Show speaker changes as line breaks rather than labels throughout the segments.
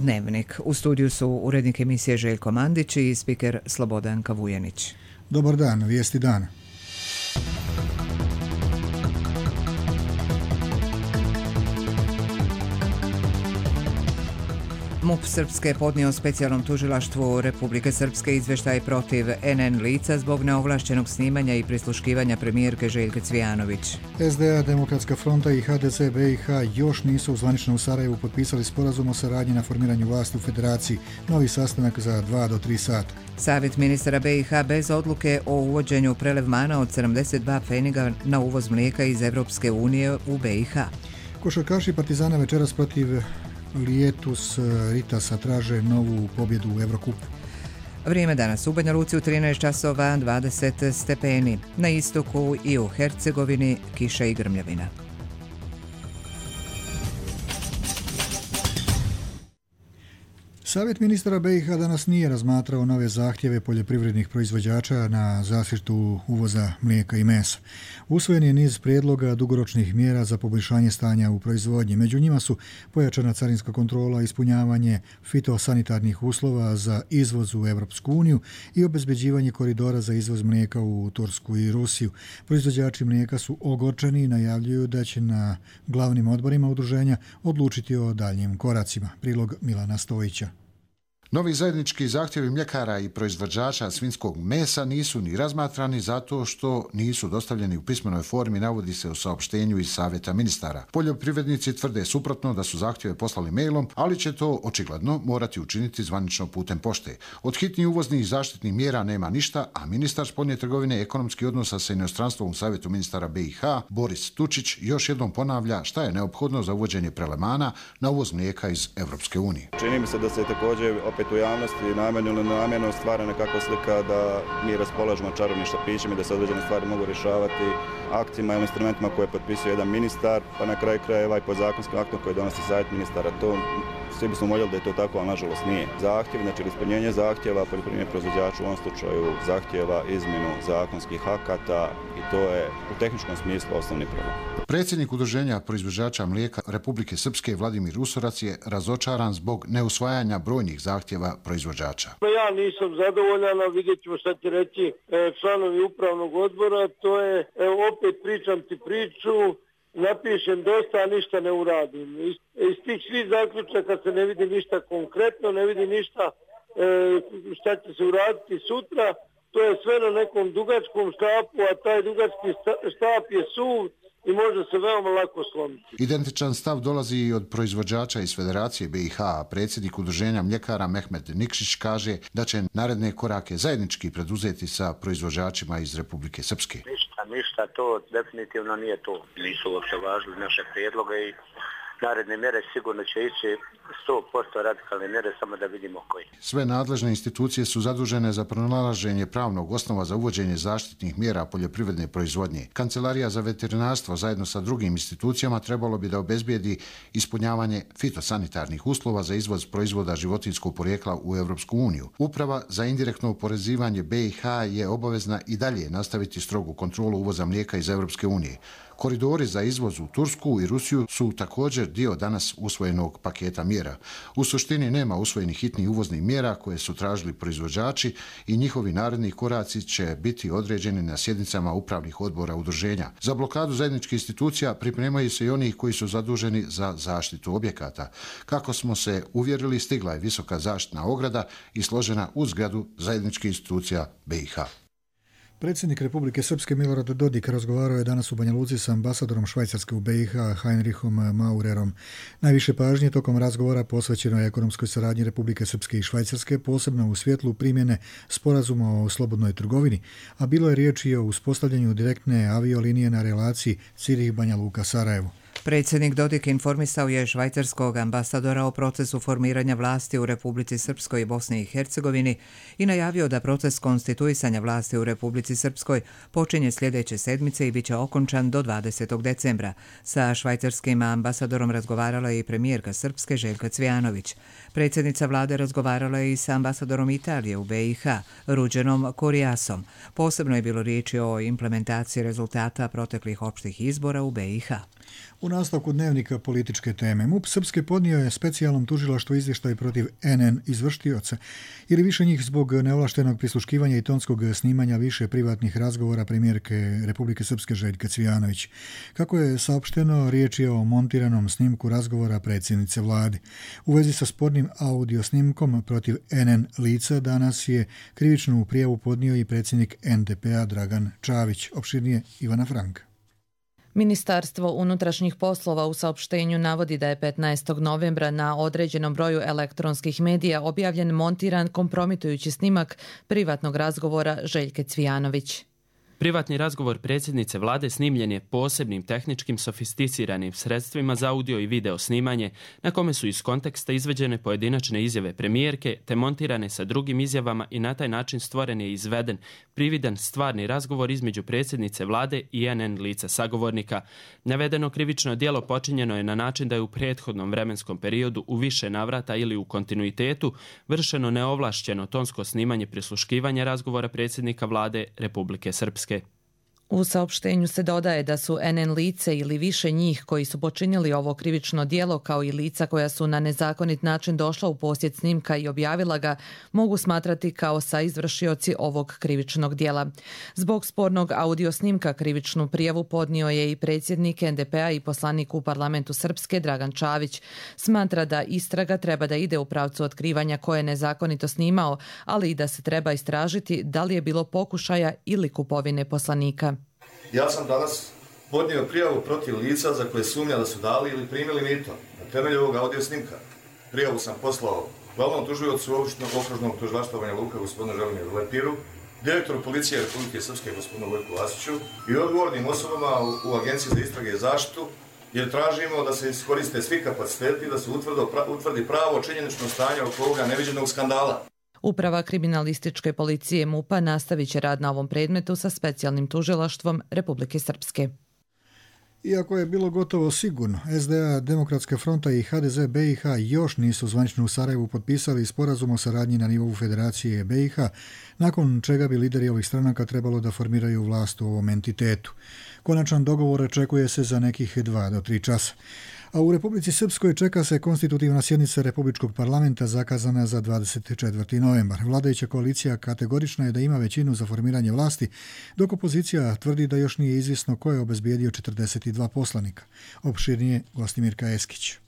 Dnevnik. U studiju su urednik emisije Željko Mandić i spiker Slobodan Kavujenić.
Dobar dan, vijesti dana.
MUP Srpske je podnio specijalnom tužilaštvu Republike Srpske izvještaj protiv NN lica zbog neovlašćenog snimanja i prisluškivanja premijerke Željke Cvijanović.
SDA, Demokratska fronta i HDZ BiH još nisu zvanično u Sarajevu potpisali sporazum o saradnji na formiranju vlasti u Federaciji. Novi sastanak za 2 do 3 sata.
Savjet ministara BiH bez odluke o uvođenju prelevmana od 72 pfeniga na uvoz mlijeka iz Evropske unije u BiH.
Košarkaši Partizana večeras protiv Lietus Ritasa traže novu pobjedu u Evrokupu.
Vrijeme danas u Banja Luci u 13 časova 20 stepeni. Na istoku i u Hercegovini kiša i grmljavina.
Savjet ministara BiH danas nije razmatrao nove zahtjeve poljoprivrednih proizvođača na zaštitu uvoza mlijeka i mesa. Usvojen je niz prijedloga dugoročnih mjera za poboljšanje stanja u proizvodnji. Među njima su pojačana carinska kontrola, ispunjavanje fitosanitarnih uslova za izvoz u Europsku uniju i obezbeđivanje koridora za izvoz mlijeka u Tursku i Rusiju. Proizvođači mlijeka su ogorčeni i najavljuju da će na glavnim odborima udruženja odlučiti o daljnjim koracima. Prilog Milana Stojića.
Novi zajednički zahtjevi mljekara i proizvođača svinjskog mesa nisu ni razmatrani zato što nisu dostavljeni u pismenoj formi, navodi se u saopštenju iz Savjeta ministara. Poljoprivrednici tvrde suprotno da su zahtjeve poslali mailom, ali će to očigledno morati učiniti zvanično putem pošte. Od hitnih uvoznih zaštitnih mjera nema ništa, a ministar spoljne trgovine i ekonomskih odnosa sa inostranstvom u Savjetu ministara BiH, Boris Tučić, još jednom ponavlja šta je neophodno za uvođenje prelemana na uvoz mlijeka iz Evropske unije.
Čini mi se da se također u javnosti namjerno ili nenamjerno stvara nekakva slika da mi raspolažemo čarobnim štapićima i da se određene stvari mogu rješavati aktima ili instrumentima koje potpisuje jedan ministar, pa na kraju krajeva i podzakonskim aktom koji donosi savjet ministara. To svi bismo voljeli da je to tako, ali nažalost nije. Zahtjev, znači ispunjenje zahtjeva poljoprivrednih proizvođača u ovom slučaju zahtjeva izmjenu zakonskih akata i to je u tehničkom smislu osnovni problem.
Predsjednik Udruženja proizvođača mlijeka Republike Srpske Vladimir Usorac je razočaran zbog neusvajanja brojnih zahtjeva proizvođača.
Ja nisam zadovoljan, a vidjet ćemo šta će reći članovi upravnog odbora. To je, opet pričam ti priču, napišem dosta, a ništa ne uradim. Iz tih svih zaključaka se ne vidi ništa konkretno, ne vidi ništa šta će se uraditi sutra. To je sve na nekom dugačkom štapu, a taj dugački štap je suv i može se veoma lako slomiti.
Identičan stav dolazi i od proizvođača iz Federacije BiH, a predsjednik Udruženja mljekara Mehmet Nikšić kaže da će naredne korake zajednički preduzeti sa proizvođačima iz Republike Srpske.
Ništa, to definitivno nije to. Nisu uopće važili naše prijedloge i naredne mjere sigurno će ići 100% radikalne mjere, samo da vidimo koji.
Sve nadležne institucije su zadužene za pronalaženje pravnog osnova za uvođenje zaštitnih mjera poljoprivredne proizvodnje. Kancelarija za veterinarstvo zajedno sa drugim institucijama trebalo bi da obezbijedi ispunjavanje fitosanitarnih uslova za izvoz proizvoda životinjskog porijekla u Evropsku uniju. Uprava za indirektno oporezivanje BiH je obavezna i dalje nastaviti strogu kontrolu uvoza mlijeka iz Evropske unije. Koridori za izvoz u Tursku i Rusiju su također dio danas usvojenog paketa mjera. U suštini nema usvojenih hitnih uvoznih mjera koje su tražili proizvođači i njihovi naredni koraci će biti određeni na sjednicama upravnih odbora udruženja. Za blokadu zajedničkih institucija pripremaju se i oni koji su zaduženi za zaštitu objekata. Kako smo se uvjerili, stigla je visoka zaštitna ograda i složena u zgradu zajedničkih institucija BiH.
Predsjednik Republike Srpske Milorad Dodik razgovarao je danas u Banja Luci sa ambasadorom Švajcarske u BiH Heinrichom Maurerom. Najviše pažnje tokom razgovora posvećeno je ekonomskoj saradnji Republike Srpske i Švajcarske, posebno u svjetlu primjene sporazuma o slobodnoj trgovini, a bilo je riječi o uspostavljanju direktne aviolinije na relaciji Cirih-Banja Luka-Sarajevo.
Predsjednik Dodik informisao je švajcarskog ambasadora o procesu formiranja vlasti u Republici Srpskoj i Bosni i Hercegovini i najavio da proces konstituisanja vlasti u Republici Srpskoj počinje sljedeće sedmice i bit će okončan do 20. decembra. Sa švajcarskim ambasadorom razgovarala je i premijerka Srpske Željka Cvijanović. Predsjednica vlade razgovarala je i sa ambasadorom Italije u BiH, Ruđenom Korijasom. Posebno je bilo riječi o implementaciji rezultata proteklih opštih izbora u BiH.
U nastavku dnevnika političke teme, MUP Srpske podnio je specijalnom tužilaštvu izvještaj protiv NN izvrštioca ili više njih zbog neovlaštenog prisluškivanja i tonskog snimanja više privatnih razgovora premijerke Republike Srpske Željke Cvijanović. Kako je saopšteno, riječ je o montiranom snimku razgovora predsjednice vlade. U vezi sa spornim audio snimkom protiv NN lica danas je krivičnu prijavu podnio i predsjednik NDP-a Dragan Čavić. Opširnije Ivana Franka.
Ministarstvo unutrašnjih poslova u saopštenju navodi da je 15. novembra na određenom broju elektronskih medija objavljen montiran kompromitujući snimak privatnog razgovora Željke Cvijanović.
Privatni razgovor predsjednice vlade snimljen je posebnim tehničkim sofisticiranim sredstvima za audio i video snimanje, na kome su iz konteksta izveđene pojedinačne izjave premijerke te montirane sa drugim izjavama i na taj način stvoren je izveden prividan stvarni razgovor između predsjednice vlade i NN lica sagovornika. Navedeno krivično djelo počinjeno je na način da je u prethodnom vremenskom periodu u više navrata ili u kontinuitetu vršeno neovlašćeno tonsko snimanje prisluškivanja razgovora predsjednika vlade Republike Srpske.
U saopštenju se dodaje da su NN lice ili više njih koji su počinili ovo krivično djelo kao i lica koja su na nezakonit način došla u posjed snimka i objavila ga mogu smatrati kao saizvršioci ovog krivičnog djela. Zbog spornog audio snimka krivičnu prijavu podnio je i predsjednik NDP-a i poslanik u parlamentu Srpske Dragan Čavić. Smatra da istraga treba da ide u pravcu otkrivanja ko je nezakonito snimao, ali i da se treba istražiti da li je bilo pokušaja ili kupovine poslanika.
Ja sam danas podnio prijavu protiv lica za koje sumnja da su dali ili primili mito na temelju ovog audio snimka. Prijavu sam poslao glavnom tužiocu okružnog tužilaštva Banja Luka gospodinu Želimiru Lepiru, direktoru policije Republike Srpske gospodinu Vojku Vasiću i odgovornim osobama u Agenciji za istrage i zaštitu, jer tražimo da se iskoriste svi kapaciteti da se utvrdi pravo činjenično stanje oko ovoga neviđenog skandala.
Uprava kriminalističke policije MUP-a nastavit će rad na ovom predmetu sa specijalnim tužilaštvom Republike Srpske.
Iako je bilo gotovo sigurno, SDA, Demokratska fronta i HDZ BiH još nisu zvanično u Sarajevu potpisali sporazum o saradnji na nivou Federacije BiH, nakon čega bi lideri ovih stranaka trebalo da formiraju vlast u ovom entitetu. Konačan dogovor očekuje se za nekih 2 do 3 časa. A u Republici Srpskoj čeka se konstitutivna sjednica Republičkog parlamenta zakazana za 24. novembar. Vladajuća koalicija kategorična je da ima većinu za formiranje vlasti, dok opozicija tvrdi da još nije izvjesno ko je obezbijedio 42 poslanika. Opširnije Gostimirka Eskić.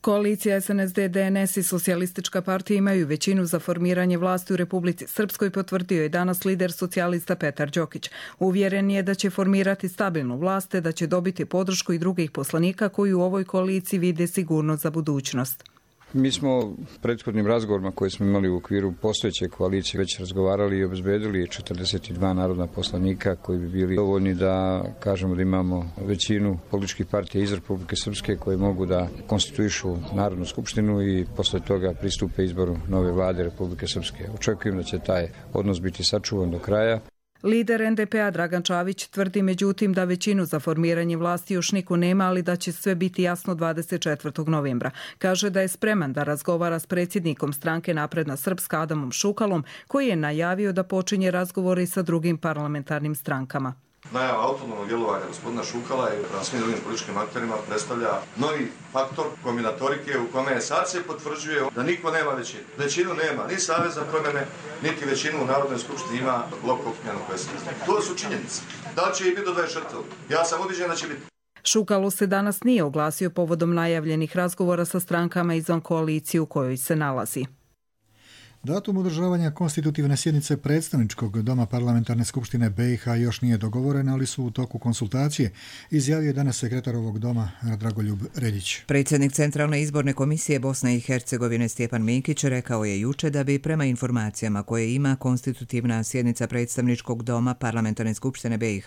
Koalicija SNSD, DNS i Socijalistička partija imaju većinu za formiranje vlasti u Republici Srpskoj, potvrdio je danas lider socijalista Petar Đokić. Uvjeren je da će formirati stabilnu vlast te da će dobiti podršku i drugih poslanika koji u ovoj koaliciji vide sigurnost za budućnost.
Mi smo prethodnim razgovorima koje smo imali u okviru postojeće koalicije već razgovarali i obezbedili 42 narodna poslanika koji bi bili dovoljni da kažemo da imamo većinu političkih partija iz Republike Srpske koji mogu da konstituišu Narodnu skupštinu i posle toga pristupe izboru nove vlade Republike Srpske. Očekujem da će taj odnos biti sačuvan do kraja.
Lider NDP-a Dragan Čavić tvrdi međutim da većinu za formiranje vlasti još niko nema, ali da će sve biti jasno 24. novembra. Kaže da je spreman da razgovara s predsjednikom stranke Napredna Srpska Adamom Šukalom, koji je najavio da počinje razgovore sa drugim parlamentarnim strankama.
Najava autonomnog djelovanja gospodina Šukala i prema svim drugim političkim akterima predstavlja novi faktor kombinatorike u kome sad se potvrđuje da niko nema većinu. Većinu nema ni Savez za promjene, niti većinu u Narodnoj skupštini ima blok okupljeno koje se izgleda. To su činjenice. Da li će i biti do 24. Ja sam ubiđen da će biti.
Šukalu se danas nije oglasio povodom najavljenih razgovora sa strankama izvan koalicije u kojoj se nalazi.
Datum održavanja konstitutivne sjednice predstavničkog doma parlamentarne skupštine BiH još nije dogovoren, ali su u toku konsultacije, izjavio danas sekretar ovog doma Dragoljub Reljić.
Predsjednik Centralne izborne komisije Bosne i Hercegovine Stjepan Minkić rekao je juče da bi prema informacijama koje ima konstitutivna sjednica predstavničkog doma parlamentarne skupštine BiH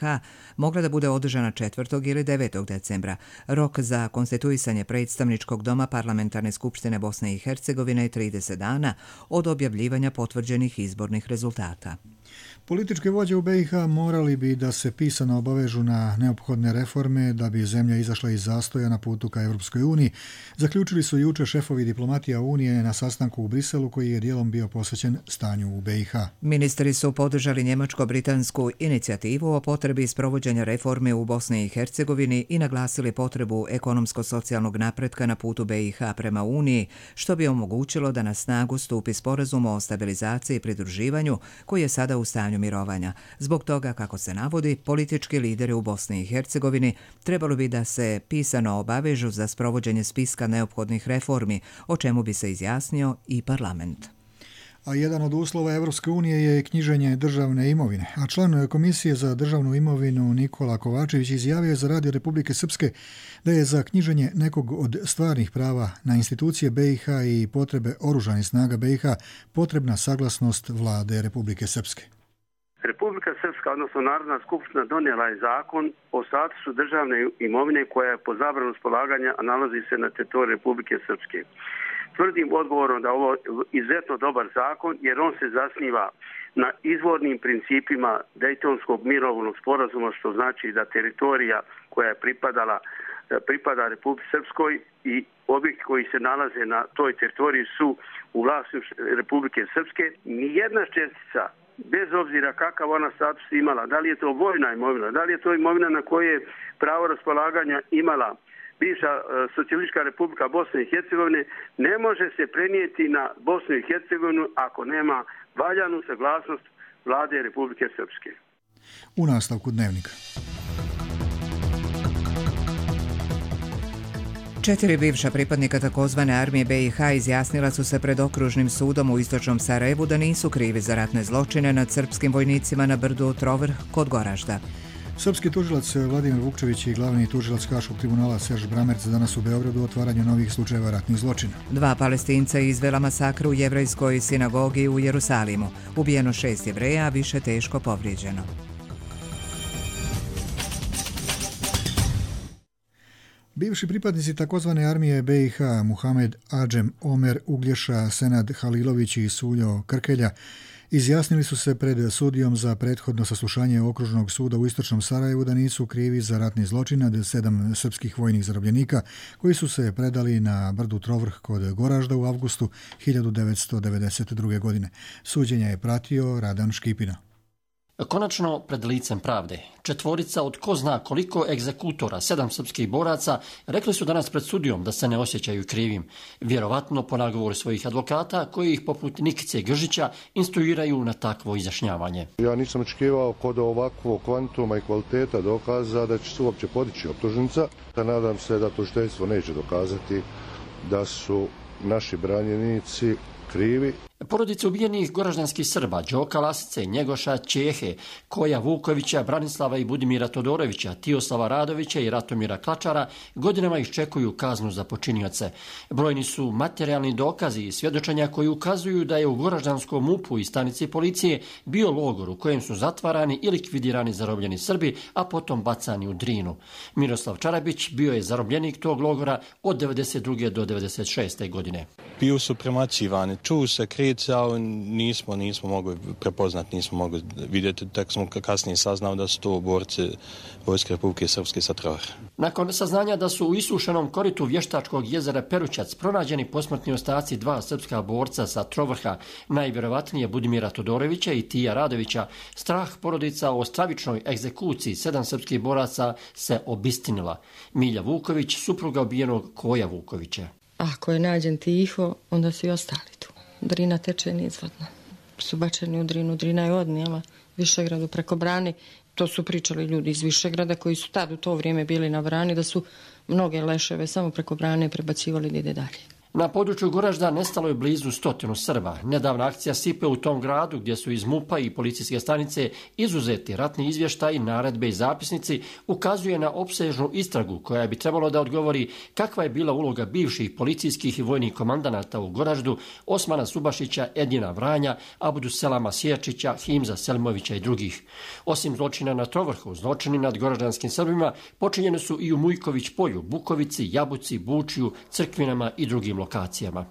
mogla da bude održana 4. ili 9. decembra. Rok za konstituisanje predstavničkog doma parlamentarne skupštine Bosne i Hercegovine je 30 dana od objavljivanja potvrđenih izbornih rezultata.
Političke vođe u BiH morali bi da se pisano obavežu na neophodne reforme da bi zemlja izašla iz zastoja na putu ka Europskoj uniji, zaključili su juče šefovi diplomatija Unije na sastanku u Briselu koji je dijelom bio posvećen stanju u BiH.
Ministri su podržali njemačko-britansku inicijativu o potrebi sprovođenja reforme u Bosni i Hercegovini i naglasili potrebu ekonomsko-socijalnog napretka na putu BiH prema Uniji, što bi omogućilo da na snagu stupi sporazum o stabilizaciji i pridruživanju koji je sada u stanju mirovanja. Zbog toga, kako se navodi, politički lideri u Bosni i Hercegovini trebalo bi da se pisano obavežu za sprovođenje spiska neophodnih reformi, o čemu bi se izjasnio i parlament.
A jedan od uslova Evropske unije je knjiženje državne imovine. A član Komisije za državnu imovinu Nikola Kovačević izjavio za Radio Republike Srpske da je za knjiženje nekog od stvarnih prava na institucije BiH i potrebe oružanih snaga BiH potrebna saglasnost vlade Republike Srpske.
Republika Srpska, odnosno Narodna skupština, donijela je zakon o statusu državne imovine koja je po zabranu spolaganja, a nalazi se na teritoriju Republike Srpske. Tvrdim odgovorom da ovo je izuzetno dobar zakon jer on se zasniva na izvornim principima Dejtonskog mirovnog sporazuma, što znači da teritorija koja je pripada Republici Srpskoj i objekti koji se nalaze na toj teritoriji su u vlasništvu Republike Srpske. Nijedna čestica, bez obzira kakav ona status imala, da li je to vojna imovina, da li je to imovina na koje je pravo raspolaganja imala bivša Socijalistička republika Bosne i Hercegovine, ne može se prenijeti na Bosnu i Hercegovinu ako nema valjanu saglasnost vlade Republike Srpske.
U nastavku dnevnika.
4 bivša pripadnika takozvane armije BiH izjasnila su se pred okružnim sudom u istočnom Sarajevu da nisu krivi za ratne zločine nad srpskim vojnicima na brdu Trovrh kod Goražda.
Srpski tužilac Vladimir Vukčević i glavni tužilac Haškog tribunala Serž Bramerc danas u Beogradu otvaranju novih slučajeva ratnih zločina. 2 Palestinca izvela masakru u jevrejskoj sinagogi u Jerusalimu. Ubijeno 6 Jevreja, a više teško povrijeđeno. Bivši pripadnici takozvane armije BiH Muhamed Adžem Omer Uglješa, Senad Halilović i Suljo Krkelja izjasnili su se pred sudijom za prethodno saslušanje okružnog suda u istočnom Sarajevu da nisu krivi za ratni zločin nad 7 srpskih vojnih zarobljenika koji su se predali na brdu Trovrh kod Goražda u avgustu 1992. godine. Suđenje je pratio Radan Škipina.
Konačno pred licem pravde. 4 od ko zna koliko egzekutora, 7 srpskih boraca, rekli su danas pred sudijom da se ne osjećaju krivim. Vjerovatno po nagovoru svojih advokata koji ih poput Nikice Gržića instruiraju na takvo izjašnjavanje.
Ja nisam očekivao kod ovakvog kvantuma i kvaliteta dokaza da će se uopće podići optužnica. Nadam se da tužiteljstvo neće dokazati da su naši branjenici krivi.
Porodice ubijenih goraždanskih Srba, Đoka Lasice, Njegoša Čehe, Koja Vukovića, Branislava i Budimira Todorovića, Tijoslava Radovića i Ratomira Klačara godinama iščekuju kaznu za počinioce. Brojni su materijalni dokazi i svjedočenja koji ukazuju da je u goraždanskom MUP-u i stanici policije bio logor u kojem su zatvarani i likvidirani zarobljeni Srbi, a potom bacani u Drinu. Miroslav Čarabić bio je zarobljenik tog logora od 1992. do 1996. godine.
Bio su premlaćivani, čuju se kricao, nismo mogli prepoznati, nismo mogli vidjeti, tek smo kasnije saznali da su to borci Vojske Republike Srpske sa Trovrha.
Nakon saznanja da su u isušenom koritu vještačkog jezera Perućac pronađeni posmrtni ostaci 2 srpska borca sa Trovrha, najvjerovatnije Budimira Todorovića i Tija Radovića, strah porodica o stravičnoj egzekuciji 7 srpskih boraca se obistinila. Milja Vuković, supruga ubijenog Koja Vukovića.
Ako je nađen tiho, onda su i ostali tu. Drina teče nizvodno. Su bačeni u Drinu. Drina je odnijela Višegradu preko brani. To su pričali ljudi iz Višegrada koji su tad u to vrijeme bili na brani, da su mnoge leševe samo preko brane prebacivali da ide dalje.
Na području Goražda nestalo je blizu 100 Srba. Nedavna akcija Sipe u tom gradu gdje su iz MUP-a i policijske stanice izuzeti ratni izvještaj, naredbe i zapisnici ukazuje na opsežnu istragu koja bi trebalo da odgovori kakva je bila uloga bivših policijskih i vojnih komandanata u Goraždu, Osmana Subašića, Edina Vranja, Abudu Selama Sječića, Himza Selimovića i drugih. Osim zločina na Trovrhu, zločini nad goraždanskim Srbima počinjeni su i u Mujković polju, Bukovici, Jabuci, Bučiju, Crkvinama i drugim lokacijama.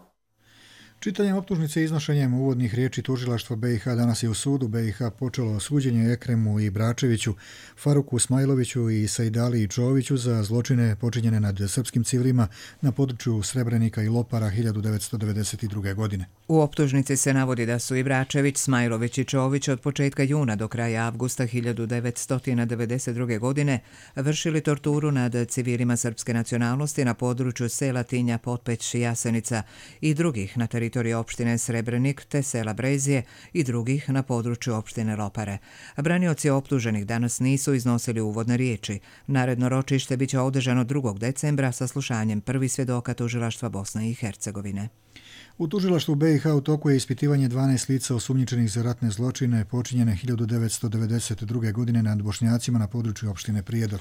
Čitanjem optužnice i iznošenjem uvodnih riječi tužilaštva BiH danas je u sudu BiH počelo suđenje Ekremu i Bračeviću, Faruku Smajloviću i Saidali Čoviću za zločine počinjene nad srpskim civilima na području Srebrenika i Lopara 1992. godine.
U optužnici se navodi da su i Bračević, Smajlović i Čović od početka juna do kraja avgusta 1992. godine vršili torturu nad civilima srpske nacionalnosti na području sela Tinja, Potpeć, Jasenica i drugih na teritoriju opštine Srebrenik te sela Brezije i drugih na području opštine Lopare. Branioci optuženih danas nisu iznosili uvodne riječi. Naredno ročište biće održano 2. decembra sa slušanjem prvih svjedoka tužilaštva Bosne i Hercegovine.
U tužilaštvu BiH u toku je ispitivanje 12 lica osumnjičenih za ratne zločine počinjene 1992. godine nad Bošnjacima na području opštine Prijedor.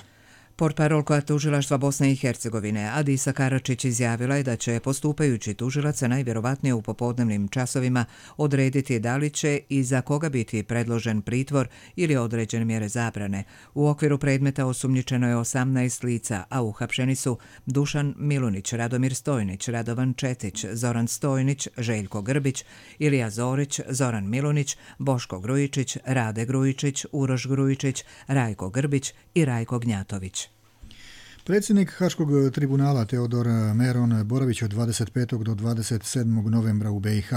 Portparolka tužilaštva Bosne i Hercegovine Adisa Karačić izjavila je da će postupajući tužilaca najvjerovatnije u popodnevnim časovima odrediti da li će i za koga biti predložen pritvor ili određene mjere zabrane. U okviru predmeta osumnjičeno je 18 lica, a uhapšeni su Dušan Milunić, Radomir Stojnić, Radovan Četić, Zoran Stojnić, Željko Grbić, Ilija Zorić, Zoran Milunić, Boško Grujičić, Rade Grujičić, Uroš Grujičić, Rajko Grbić i Rajko Gnjatović.
Predsjednik Haškog tribunala Teodor Meron boravić od 25. do 27. novembra u BiH.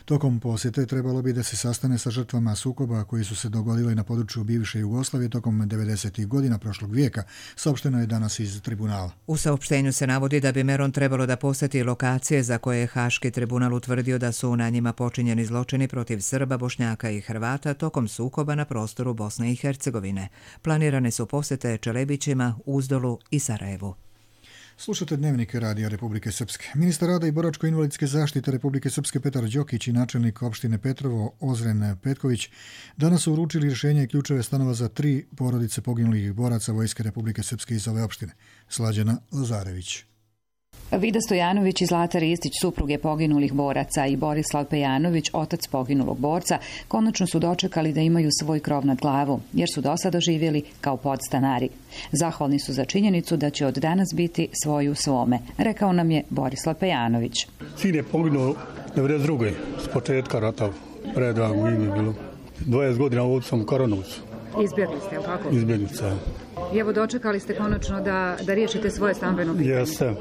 Tokom posjete trebalo bi da se sastane sa žrtvama sukoba koji su se dogodili na području bivše Jugoslavije tokom 90. godina prošlog vijeka, saopšteno je danas iz tribunala.
U saopštenju se navodi da bi Meron trebalo da posjeti lokacije za koje je Haški tribunal utvrdio da su na njima počinjeni zločini protiv Srba, Bošnjaka i Hrvata tokom sukoba na prostoru Bosne i Hercegovine. Planirane su posjete Čelebićima, Uzdolu i Sarajevu.
Slušate Dnevnik Radija Republike Srpske. Ministar rada i boračko-invalidske zaštite Republike Srpske Petar Đokić i načelnik opštine Petrovo Ozren Petković danas su uručili rješenje i ključeve stanova za 3 porodice poginulih boraca Vojske Republike Srpske iz ove opštine. Slađana Lazarević.
Vida Stojanović i Zlata Ristić, supruge poginulih boraca, i Borislav Pejanović, otac poginulog borca, konačno su dočekali da imaju svoj krov nad glavu, jer su do sada živjeli kao podstanari. Zahvalni su za činjenicu da će od danas biti svoj u svome, rekao nam je Borislav Pejanović.
Sin je poginuo 92. s početka rata, predrago ime bilo. 20 godina ovdje sam u Karanovcu.
Izbjegli ste, tako?
Izbjeglica.
I evo dočekali ste konačno da riješite svoje stambeno pitanje.
Jeste.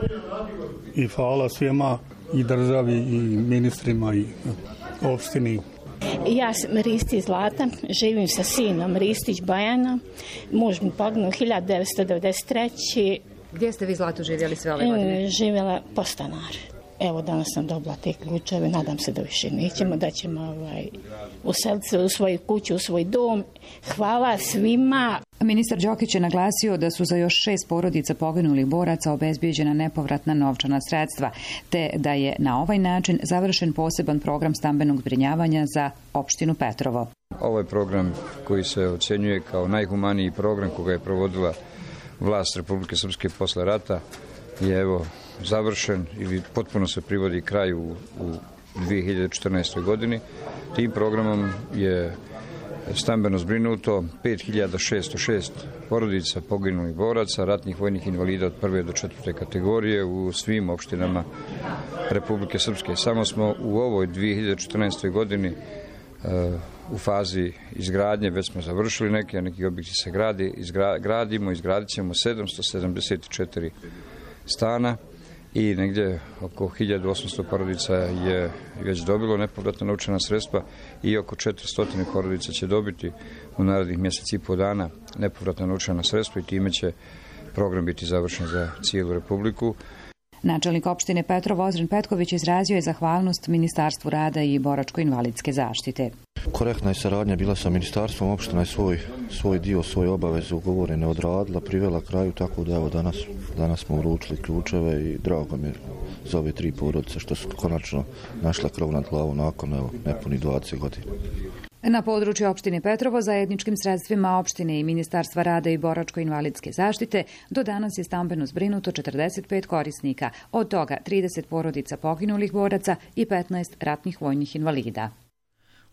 I hvala svima, i državi, i ministrima, i opštini.
Ja sam Ristić Zlata, živim sa sinom Ristić Bajana. Muž mi poginuo 1993.
Gdje ste vi, Zlatu, živjeli sve ove godine?
Živjela podstanar. Evo, danas sam dobila te ključeve, nadam se da više nećemo, da ćemo useliti se u svoju kuću, u svoj dom. Hvala svima.
Ministar Đokić je naglasio da su za još 6 porodica poginulih boraca obezbijeđena nepovratna novčana sredstva, te da je na ovaj način završen poseban program stambenog zbrinjavanja za opštinu Petrovo.
Ovaj program koji se ocjenjuje kao najhumaniji program koga je provodila vlast Republike Srpske posle rata je evo završen ili potpuno se privodi kraju u 2014. godini. Tim programom je stambeno zbrinuto 5606 porodica poginulih boraca, ratnih vojnih invalida od 1. do 4. kategorije u svim opštinama Republike Srpske. Samo smo u ovoj 2014. godini u fazi izgradnje, već smo završili neki objekti se izgradit ćemo 774 stana i negdje oko 1800 porodica je već dobilo nepovratna novčana sredstva i oko 400 porodica će dobiti u narednih mjeseci i po dana nepovratna novčana sredstva i time će program biti završen za cijelu Republiku.
Načelnik opštine Petrovo Ozren Petković izrazio je zahvalnost Ministarstvu rada i boračko-invalidske zaštite.
Korektna je saradnja bila sa ministarstvom, opština je svoj dio, svoje obaveze ugovorene odradila, privela kraju, tako da evo danas smo uručili ključeve i drago mi je za ove 3 porodice što su konačno našla krov nad glavom nakon nepuni 20 godina.
Na području opštine Petrovo zajedničkim sredstvima opštine i Ministarstva rada i boračko-invalidske zaštite do danas je stambeno zbrinuto 45 korisnika, od toga 30 porodica poginulih boraca i 15 ratnih vojnih invalida.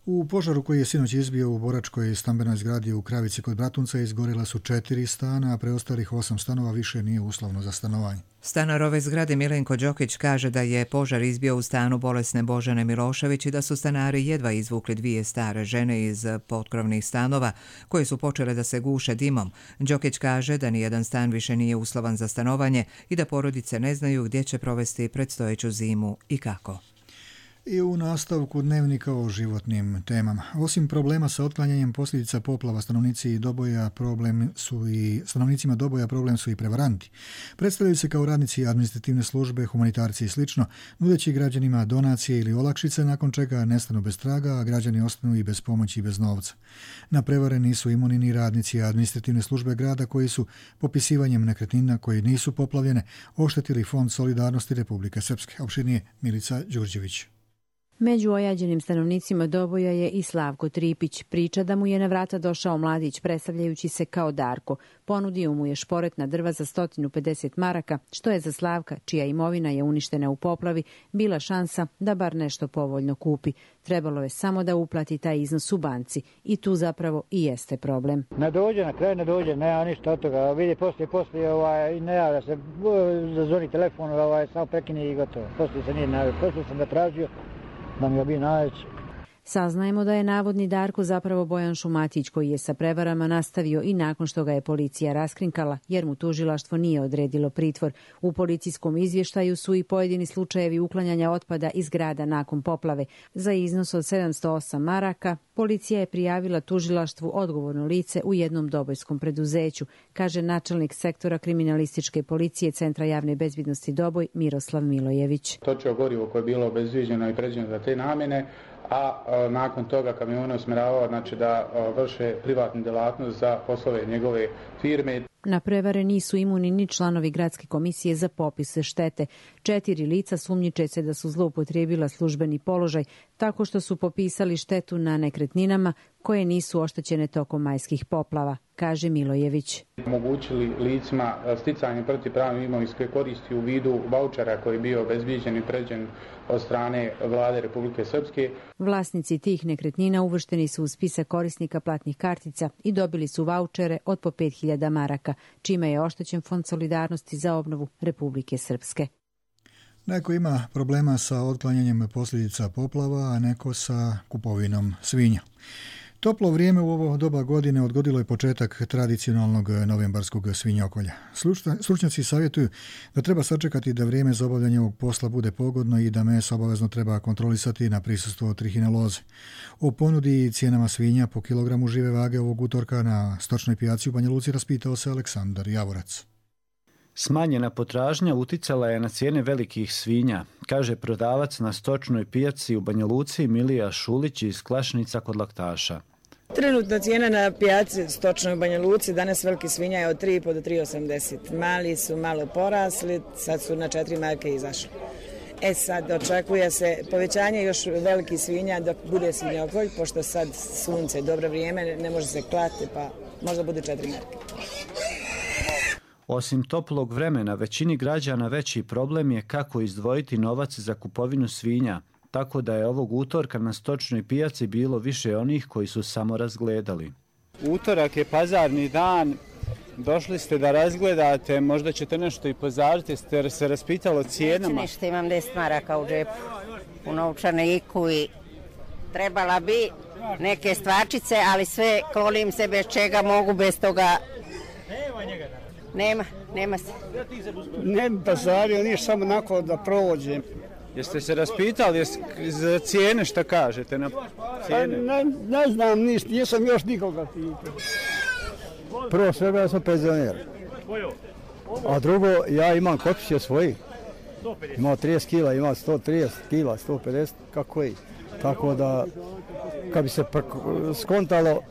U požaru koji je sinoć izbio u boračkoj stambenoj zgradi u Kravici kod Bratunca izgorila su 4 stana, a preostalih 8 stanova više nije uslovno za stanovanje.
Stanar ove zgrade Milenko Đokić kaže da je požar izbio u stanu bolesne Božane Milošević i da su stanari jedva izvukli 2 stare žene iz potkrovnih stanova koje su počele da se guše dimom. Đokić kaže da nijedan stan više nije uslovan za stanovanje i da porodice ne znaju gdje će provesti predstojeću zimu i kako.
I u nastavku dnevnika o životnim temama. Osim problema sa otklanjanjem posljedica poplava, stanovnicima Doboja problem su i prevaranti. Predstavljaju se kao radnici administrativne službe, humanitarci i slično, nudeći građanima donacije ili olakšice, nakon čega nestanu bez traga, a građani ostanu i bez pomoći i bez novca. Na prevare nisu imuni ni radnici administrativne službe grada koji su popisivanjem nekretnina koji nisu poplavljene oštetili Fond solidarnosti Republike Srpske. Opširnije Milica Đurđević.
Među ojađenim stanovnicima Doboja je i Slavko Tripić. Priča da mu je na vrata došao mladić predstavljajući se kao Darko. Ponudio mu je šporetna drva za 150 maraka, što je za Slavka, čija imovina je uništena u poplavi, bila šansa da bar nešto povoljno kupi. Trebalo je samo da uplati taj iznos u banci i tu zapravo i jeste problem.
Ne dođe, na kraju ne dođe, nema ništa od toga. Vidi poslije ne javlja se, zazvoni telefon, samo prekini i gotovo. Poslije se nije najavio, poslije sam ga tražio da mi obi naći.
Saznajemo da je navodni Darko zapravo Bojan Šumatić koji je sa prevarama nastavio i nakon što ga je policija raskrinkala jer mu tužilaštvo nije odredilo pritvor. U policijskom izvještaju su i pojedini slučajevi uklanjanja otpada iz grada nakon poplave. Za iznos od 708 maraka policija je prijavila tužilaštvu odgovorno lice u jednom dobojskom preduzeću, kaže načelnik sektora kriminalističke policije Centra javne bezbednosti Doboj Miroslav Milojević.
Točno gorivo koje je bilo obezviđeno i predviđeno za te namjene, a nakon toga kamione usmjeravao da vrše privatnu djelatnost za poslove njegove firme.
Na prevare nisu imuni ni članovi gradske komisije za popise štete. 4 lica sumnjiče se da su zloupotrijebila službeni položaj tako što su popisali štetu na nekretninama koje nisu oštećene tokom majskih poplava, kaže Milojević.
Omogućili licima sticanje protivpravne imovinske koristi u vidu vaučera koji je bio obezbiđen i predviđen od strane vlade Republike Srpske.
Vlasnici tih nekretnina uvršteni su u spisak korisnika platnih kartica i dobili su vaučere od po 5.000 maraka, čime je oštećen Fond solidarnosti za obnovu Republike Srpske.
Neko ima problema sa otklanjanjem posljedica poplava, a neko sa kupovinom svinja. Toplo vrijeme u ovo doba godine odgodilo je početak tradicionalnog novembarskog svinjokolja. Stručnjaci savjetuju da treba sačekati da vrijeme za obavljanje ovog posla bude pogodno i da meso obavezno treba kontrolisati na prisustvo trihineloze. O ponudi i cijenama svinja po kilogramu žive vage ovog utorka na stočnoj pijaci u Banja Luci raspitao se Aleksandar Javorac.
Smanjena potražnja uticala je na cijene velikih svinja, kaže prodavac na stočnoj pijaci u Banja Luci Milija Šulić iz Klašnica kod Laktaša.
Trenutna cijena na pijaci stočnoj u Banja Luci danas veliki svinja je od 3,5 do 3,80. Mali su malo porasli, sad su na 4 marke izašli. Sad očekuje se povećanje još velikih svinja dok bude svinjokolj, pošto sad sunce, dobro vrijeme, ne može se klati, pa možda bude 4 marke.
Osim toplog vremena, većini građana veći problem je kako izdvojiti novac za kupovinu svinja, tako da je ovog utorka na stočnoj pijaci bilo više onih koji su samo razgledali.
Utorak je pazarni dan, došli ste da razgledate, možda ćete nešto i pozariti, ste se raspitali o cijenama?
Neću ništa, imam 10 maraka u džepu, u novčaniku i trebala bi neke stvarčice, ali sve klonim se bez čega mogu, bez toga. Nema se.
Ne bi pazario, nije samo onako da prođem. Jeste se raspitali za cijene, šta kažete na cijene?
Ne znam ništa, nisam još nikoga pitao. Prvo svega ja sam penzioner. A drugo, ja imam kod kuće svoji. Imao 30 kila, imao 130 kila, 150, kako je. Tako da, kad bi se skontalo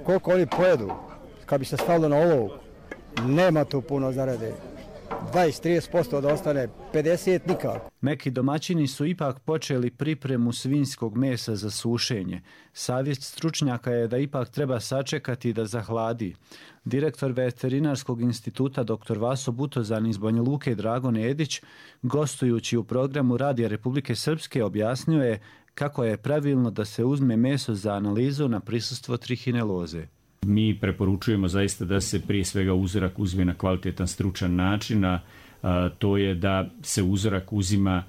koliko oni pojedu, kad bi se stavilo na olovku, nema tu puno zarade. 20-30% da ostane, 50% nikako.
Neki domaćini su ipak počeli pripremu svinjskog mesa za sušenje. Savjet stručnjaka je da ipak treba sačekati da zahladi. Direktor Veterinarskog instituta dr. Vaso Butozan iz Banja Luke Dragon Edić, gostujući u programu Radija Republike Srpske, objasnio je kako je pravilno da se uzme meso za analizu na prisustvo trihineloze.
Mi preporučujemo zaista da se prije svega uzorak uzme na kvalitetan stručan način, a to je da se uzorak uzima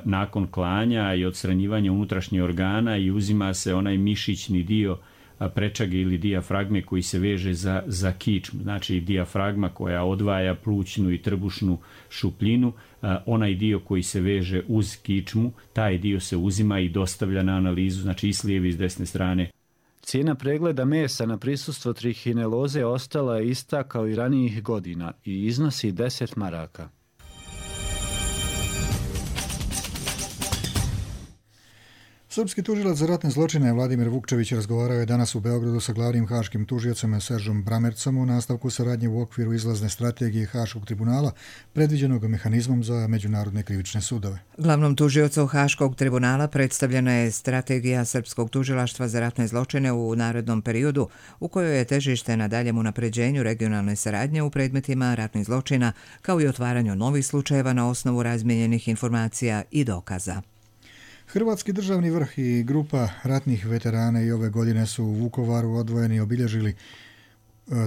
nakon klanja i odstranjivanja unutrašnjih organa i uzima se onaj mišićni dio prečage ili dijafragme koji se veže za kičmu. Znači dijafragma koja odvaja plućnu i trbušnu šupljinu, onaj dio koji se veže uz kičmu, taj dio se uzima i dostavlja na analizu, znači i s lijeve i s desne strane.
Cijena pregleda mesa na prisustvo trihineloze ostala je ista kao i ranijih godina i iznosi 10 maraka.
Srpski tužilac za ratne zločine Vladimir Vukčević razgovarao je danas u Beogradu sa glavnim haškim tužiocem Seržom Bramercom u nastavku saradnje u okviru izlazne strategije Haškog tribunala predviđenog mehanizmom za međunarodne krivične sudove.
Glavnom tužiocu Haškog tribunala predstavljena je strategija Srpskog tužilaštva za ratne zločine u narednom periodu u kojoj je težište na daljem unapređenju regionalne saradnje u predmetima ratnih zločina kao i otvaranju novih slučajeva na osnovu razmijenjenih informacija i dokaza.
Hrvatski državni vrh i grupa ratnih veterana i ove godine su u Vukovaru odvojeni i obilježili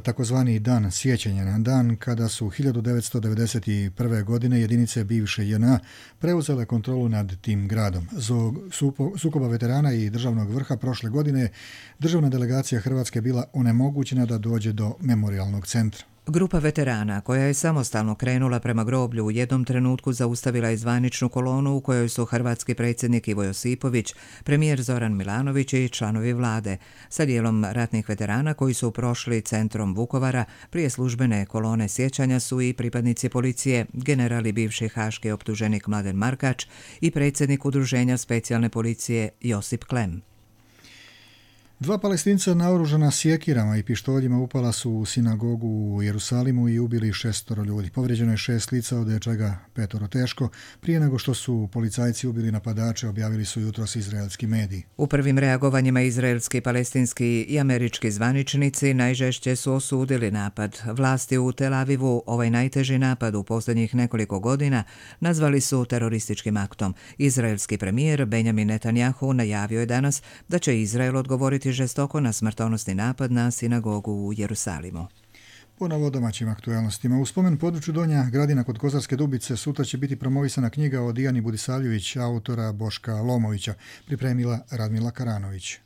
takozvani dan sjećanja, na dan kada su 1991. godine jedinice bivše JNA preuzele kontrolu nad tim gradom. Zbog sukoba veterana i državnog vrha prošle godine državna delegacija Hrvatske bila onemogućena da dođe do memorijalnog centra.
Grupa veterana, koja je samostalno krenula prema groblju, u jednom trenutku zaustavila je zvaničnu kolonu u kojoj su hrvatski predsjednik Ivo Josipović, premijer Zoran Milanović i članovi vlade, sa dijelom ratnih veterana koji su prošli centrom Vukovara. Prije službene kolone sjećanja su i pripadnici policije, generali bivši haški optuženik Mladen Markač i predsjednik udruženja specijalne policije Josip Klem.
2 Palestinca naoružana sjekirama i pištoljima upala su u sinagogu u Jerusalimu i ubili 6 ljudi. Povrijeđeno je 6 lica, od čega 5 teško. Prije nego što su policajci ubili napadače, objavili su jutros izraelski mediji.
U prvim reagovanjima izraelski, palestinski i američki zvaničnici najžešće su osudili napad. Vlasti u Tel Avivu ovaj najteži napad u posljednjih nekoliko godina nazvali su terorističkim aktom. Izraelski premijer Benjamin Netanjahu najavio je danas da će Izrael odgovoriti žestoko na smrtonosni napad na sinagogu u Jerusalimu.
Ponovo domaćim aktualnostima. U spomen području Donja Gradina kod Kozarske Dubice sutra će biti promovisana knjiga o Dijani Budisavljević, autora Boška Lomovića, pripremila Radmila Karanović.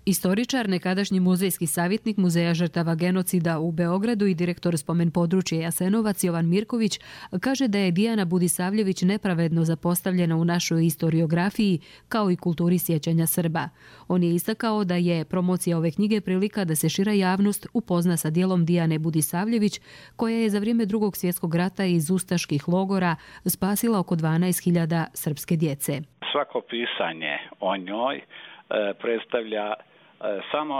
Istoričar, nekadašnji muzejski savjetnik Muzeja žrtava genocida u Beogradu i direktor spomen područja Jasenovac Jovan Mirković kaže da je Dijana Budisavljević nepravedno zapostavljena u našoj historiografiji kao i kulturi sjećanja Srba. On je istakao da je promocija ove knjige prilika da se šira javnost upozna sa djelom Dijane Budisavljević, koja je za vrijeme Drugog svjetskog rata iz ustaških logora spasila oko 12.000 srpske djece.
Svako pisanje o njoj predstavlja samo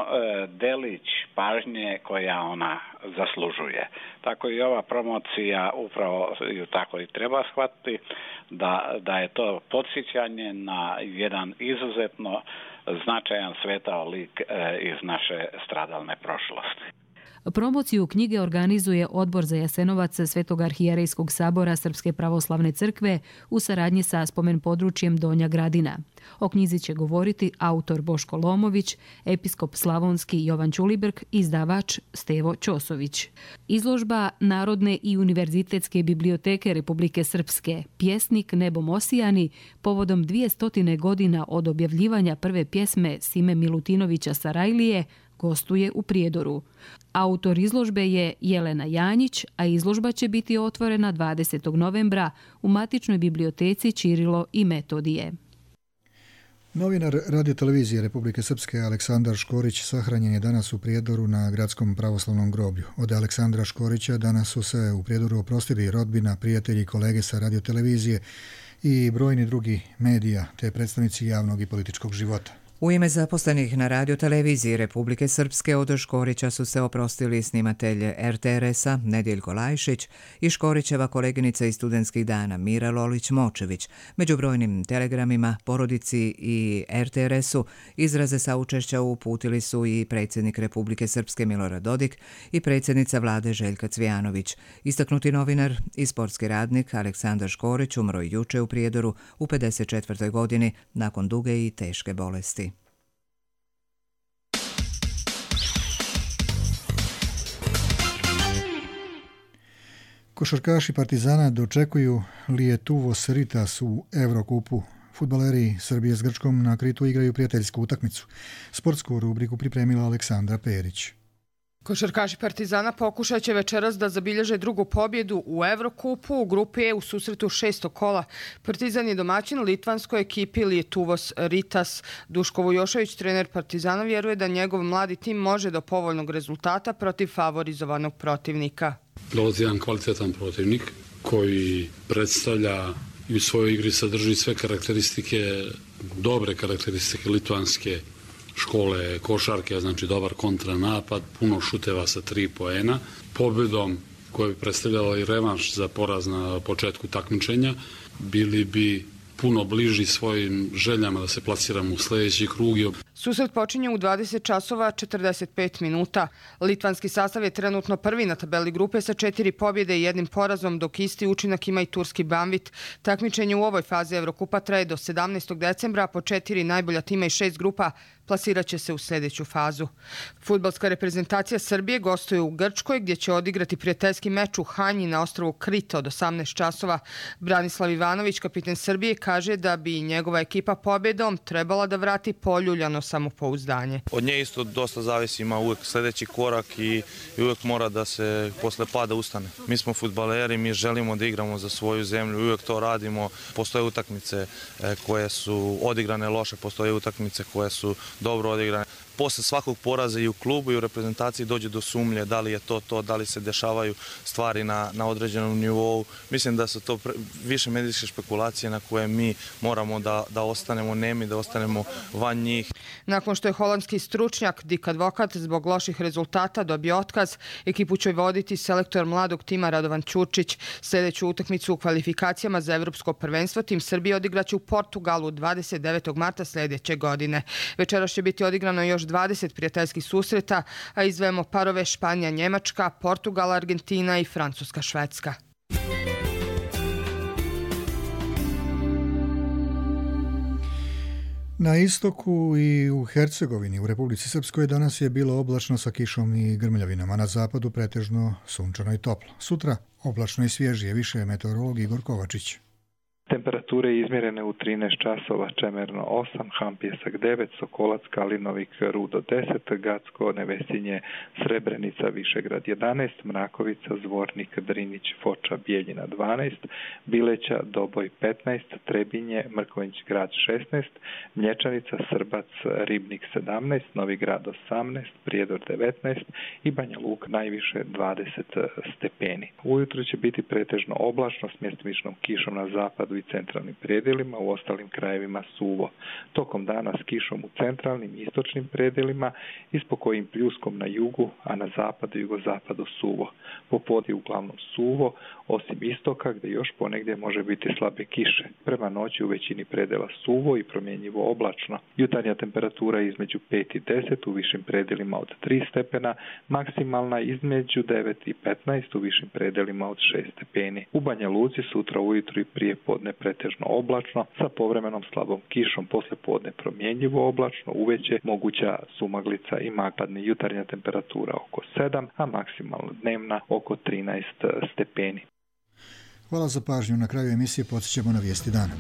delić pažnje koja ona zaslužuje. Tako i ova promocija upravo ju tako i treba shvatiti, da je to podsjećanje na jedan izuzetno značajan svetao lik iz naše stradalne prošlosti.
Promociju knjige organizuje Odbor za Jasenovac Svetog arhijerejskog sabora Srpske pravoslavne crkve u saradnji sa spomen područjem Donja Gradina. O knjizi će govoriti autor Boško Lomović, episkop slavonski Jovan Ćulibrk i izdavač Stevo Ćosović. Izložba Narodne i univerzitetske biblioteke Republike Srpske Pjesnik nebom osijani povodom 200 godina od objavljivanja prve pjesme Sime Milutinovića Sarajlije gostuje u Prijedoru. Autor izložbe je Jelena Janjić, a izložba će biti otvorena 20. novembra u matičnoj biblioteci Ćirilo i Metodije.
Novinar radiotelevizije Republike Srpske Aleksandar Škorić sahranjen je danas u Prijedoru na gradskom pravoslavnom groblju. Od Aleksandra Škorića danas su se u Prijedoru oprostili rodbina, prijatelji i kolege sa radiotelevizije i brojni drugi medija te predstavnici javnog i političkog života.
U ime zaposlenih na radioteleviziji Republike Srpske od Škorića su se oprostili snimatelj RTRS-a Nedjeljko Lajšić i Škorićeva koleginica iz studentskih dana Mira Lolić-Močević. Među brojnim telegramima porodici i RTRS-u izraze saučešća uputili su i predsjednik Republike Srpske Milorad Dodik i predsjednica vlade Željka Cvijanović. Istaknuti novinar i sportski radnik Aleksandar Škorić umro juče u Prijedoru u 54. godini nakon duge i teške bolesti.
Košarkaši Partizana dočekuju Lietuvos Ritas u Evrokupu. Fudbaleri Srbije s Grčkom na Kritu igraju prijateljsku utakmicu. Sportsku rubriku pripremila Aleksandra Perić.
Košarkaši Partizana pokušat će večeras da zabilježe drugu pobjedu u Evrokupu u grupi E u susretu 6. kola. Partizan je domaćin litvanskoj ekipi Lietuvos Ritas. Duško Vujošević, trener Partizana, vjeruje da njegov mladi tim može do povoljnog rezultata protiv favorizovanog protivnika.
Dolazi jedan kvalitetan protivnik koji predstavlja i u svojoj igri sadrži sve karakteristike, dobre karakteristike litvanske škole košarke, znači dobar kontranapad, puno šuteva sa 3 poena. Pobjedom koja bi predstavljala i revanš za poraz na početku takmičenja, bili bi puno bliži svojim željama da se plasiramo u sljedeći krug.
Susret počinje u 20 časova 45 minuta. Litvanski sastav je trenutno prvi na tabeli grupe sa 4 pobjede i 1 porazom, dok isti učinak ima i turski Banvit. Takmičenje u ovoj fazi Evrokupa traje do 17. decembra, po 4 najbolja tima i 6 grupa plasirat će se u sljedeću fazu. Fudbalska reprezentacija Srbije gostuje u Grčkoj, gdje će odigrati prijateljski meč u Hanji na ostrvu Krita od 18 časova. Branislav Ivanović, kapiten Srbije, kaže da bi njegova ekipa pobjedom trebala da vrati poljuljano samopouzdanje.
Od nje isto dosta zavisi, ima uvijek sljedeći korak i uvijek mora da se posle pada ustane. Mi smo fudbaleri, mi želimo da igramo za svoju zemlju, uvijek to radimo. Postoje utakmice koje su odigrane loše, postoje utakmice koje su dobro odigrane. Posle svakog poraza i u klubu i u reprezentaciji dođe do sumnje da li je to, da li se dešavaju stvari na određenom nivou. Mislim da su to više medijske špekulacije na koje mi moramo da ostanemo nemi, da ostanemo van njih.
Nakon što je holandski stručnjak Dick Advokat zbog loših rezultata dobio otkaz, ekipu će voditi selektor mladog tima Radovan Ćurčić. Sljedeću utakmicu u kvalifikacijama za Evropsko prvenstvo tim Srbije odigraće u Portugalu 29. marta sljedeće godine. Večeras će biti odigrano još 20 prijateljskih susreta, a izdvajamo parove Španija, Njemačka, Portugal, Argentina i Francuska, Švedska.
Na istoku i u Hercegovini u Republici Srpskoj danas je bilo oblačno sa kišom i grmljavinama, na zapadu pretežno sunčano i toplo. Sutra oblačno i svježije, više meteorolog Igor Kovačić.
Temperature izmjerene u 13 časova, Čemerno 8, Hampjesak 9, Sokolac, Kalinovik, Rudo 10, Gacko, Nevesinje, Srebrenica, Višegrad 11, Mrakovica, Zvornik, Drinić, Foča, Bijeljina 12, Bileća, Doboj 15, Trebinje, Mrkonjić grad 16, Mlječanica, Srbac, Ribnik 17, Novi grad 18, Prijedor 19 i Banja Luka najviše 20 stepeni. Ujutro će biti pretežno oblačno s mjestimičnom kišom na zapadu i centralnim predjelima, u ostalim krajevima suvo. Tokom dana s kišom u centralnim i istočnim predjelima i s pokojim pljuskom na jugu, a na zapadu i jugozapadu suvo. Popodne uglavnom suvo, osim istoka gdje još ponegdje može biti slabe kiše. Prema noći u većini predjela suvo i promjenjivo oblačno. Jutarnja temperatura između 5 i 10, u višim predjelima od 3 stepena, maksimalna između 9 i 15, u višim predjelima od 6 stepeni. U Banja Luci sutra ujutro i prije podne pretežno oblačno, sa povremenom slabom kišom, poslije podne promjenjivo oblačno, uveće moguća sumaglica i magladne. Jutarnja temperatura oko 7, a maksimalno dnevna oko 13 stepeni.
Hvala za pažnju. Na kraju emisije podsjećamo na vijesti dana.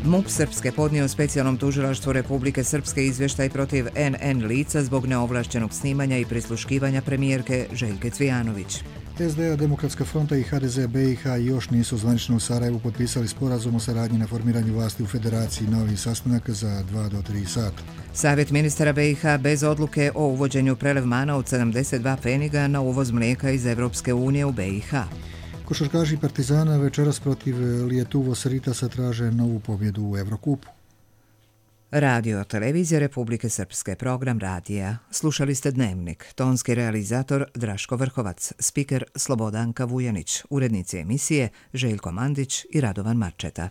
MUP Srpske podnio specijalnom tužilaštvu Republike Srpske izvještaj protiv NN lica zbog neovlašćenog snimanja i prisluškivanja premijerke Željke Cvijanović.
SDA, Demokratska fronta i HDZ BiH još nisu zvanično u Sarajevu potpisali sporazum o saradnji na formiranju vlasti u Federaciji. Novi sastanak za 2 do 3 sata.
Savjet ministara BiH bez odluke o uvođenju prelevmana od 72 pfeniga na uvoz mlijeka iz Evropske unije u BiH.
Košarkaši Partizana večeras protiv Lietuvos Ritasa traže novu pobjedu u Evrokupu.
Radio televizija Republike Srpske, program radija. Slušali ste Dnevnik, tonski realizator Draško Vrhovac, spiker Slobodanka Vujanić, urednici emisije Željko Mandić i Radovan Marčeta.